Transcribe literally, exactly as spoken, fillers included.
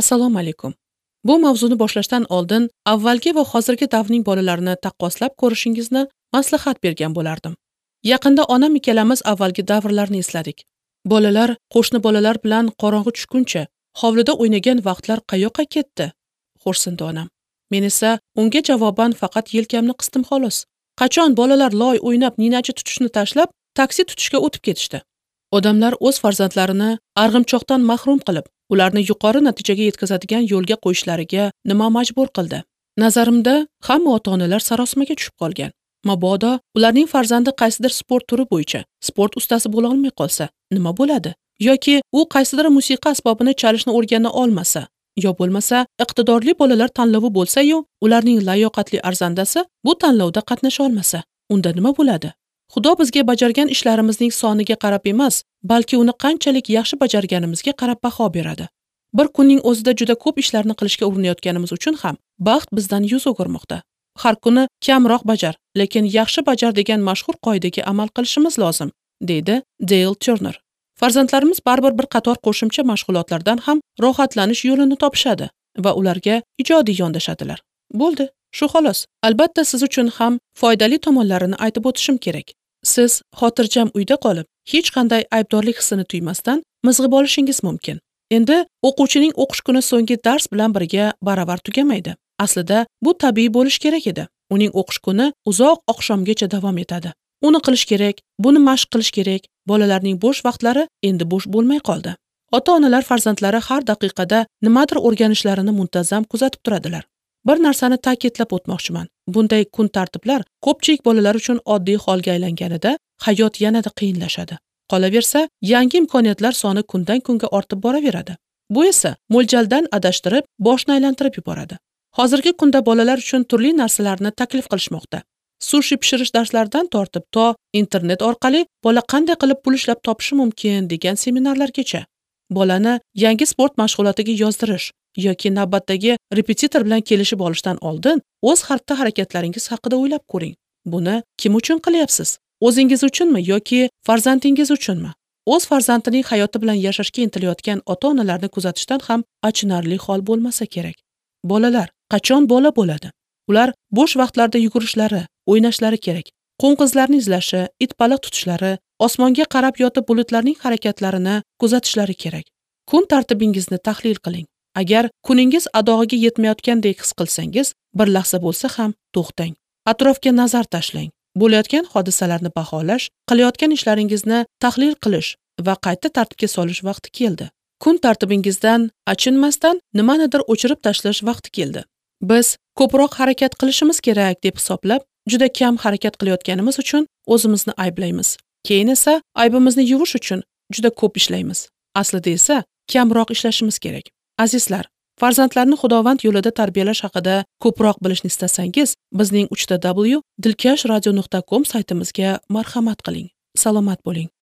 Assalomu alaykum. Bu mavzuni boshlashdan oldin avvalgi va hozirgi davrning bolalarini taqqoslab ko'rishingizni maslahat bergan bo'lardim. Yaqinda onam ikkalamiz avvalgi davrlarni esladik. Bolalar qo'shni bolalar bilan qorong'i tushguncha hovlida o'ynagan vaqtlar qayoqqa ketdi? Xo'rsindi onam. Men esa unga javoban faqat yelkamni qisdim xolos. Qachon bolalar loy o'ynab ninachi tutishni tashlab, taksi tutishga o'tib ketishdi? Odamlar o'z farzandlarini arg'imchoqdan mahrum qilib, ularni yuqori natijaga yetkazadigan yo'lga qo'yishlariga nima majbur qildi? Nazarimda, hamma ota-onalar sarosimaga tushib qolgan. Mabodo ularning farzandi qaysidir sport turi bo'yicha sport ustasi bo'la olmay qolsa, nima bo'ladi? Yoki u qaysidir musiqa asbobini chalishni o'rgana olmasa, yo bo'lmasa iqtidorli bolalar tanlovi bo'lsa-yu, ularning layoqatli arzandasi bu tanlovda qatnasha olmasa, unda nima bo'ladi? Xudo bizga bajargan ishlarimizning soniga qarab emas, balki uni qanchalik yaxshi bajarganimizga qarab baho beradi. Bir kunning o'zida juda ko'p ishlarni qilishga urinayotganimiz uchun ham baxt bizdan yuz o'girmoqda. Har kuni kamroq bajar, lekin yaxshi bajar degan mashhur qoidaga amal qilishimiz lozim, deydi Dale Turner. Farzandlarimiz baribir bir qator qo'shimcha mashg'ulotlardan ham rohatlanish yo'lini topishadi va ularga ijodiy yondashadilar. Bo'ldi, shu xolos. Albatta siz uchun ham foydali tomonlarini aytib o'tishim kerak. Siz xotirjam uyda qolib, hech qanday aybdorlik hissini tuymasdan mizg'ib olishingiz mumkin. Endi o'quvchining o'qish kuni so'nggi dars bilan birga baravar tugamaydi. Aslida bu tabiiy bo'lish kerak edi. Uning o'qish kuni uzoq oqshomgacha davom etadi. Uni qilish kerak, buni mashq qilish kerak. Bolalarning bo'sh vaqtlari endi bo'sh bo'lmay qoldi. Ota-onalar farzandlari har daqiqada nimadir o'rganishlarini muntazam kuzatib turadilar. Bir narsani ta'kidlab o'tmoqchiman. Bunday kun tartiblar ko'pchilik bolalar uchun oddiy holga aylanganida hayot yanada qiyinlashadi. Qolaversa, yangi imkoniyatlar soni kundan kunga ortib boraveradi. Bu esa mo'ljaldan adashtirib, boshni aylantirib yuboradi. Hozirgi kunda bolalar uchun turli narsalarni taklif qilishmoqda. Sushi pishirish darslaridan tortib to internet orqali bola qanday qilib pul ishlab topishi mumkin degan seminarlargacha. Bolani yangi sport mashg'ulotiga yozdirish yoki navbatdagi repetitor bilan kelishib olishdan oldin o'z xatti-harakatlaringiz haqida o'ylab ko'ring. Buni kim uchun qilyapsiz? O'zingiz uchunmi yoki farzandingiz uchunmi? O'z farzandining hayoti bilan yashashga intilayotgan ota-onalarni kuzatishdan ham achinarli hol bo'lmasa kerak. Bolalar qachon bola bo'ladi? Ular bo'sh vaqtlarda yugurishlari, o'ynashlari kerak. Qo'ng'izlarni izlashi, it baliq tutishlari, osmonga qarab yotib bulutlarning harakatlarini kuzatishlari kerak. Kun tartibingizni tahlil qiling. Agar kuningiz adog'iga yetmayotgandek his qilsangiz, bir lahza bo'lsa ham to'xtang. Atrofga nazar tashlang. Bo'layotgan hodisalarni baholash, qilayotgan ishlaringizni tahlil qilish va qayta tartibga solish vaqti keldi. Kun tartibingizdan achinmasdan nimanidir o'chirib tashlash vaqti keldi. Biz ko'proq harakat qilishimiz kerak deb hisoblab, juda kam harakat qilayotganimiz uchun o'zimizni ayblaymiz. Keyin esa aybimizni yuvish uchun juda ko'p ishlaymiz. Aslida esa kamroq ishlashimiz kerak. Azizlar, farzandlarni Xudovand yo'lida tarbiyalash haqida ko'proq bilishni istasangiz, bizning uch ta w dilkash radio nuqta com saytimizga marhamat qiling. Salomat bo'ling.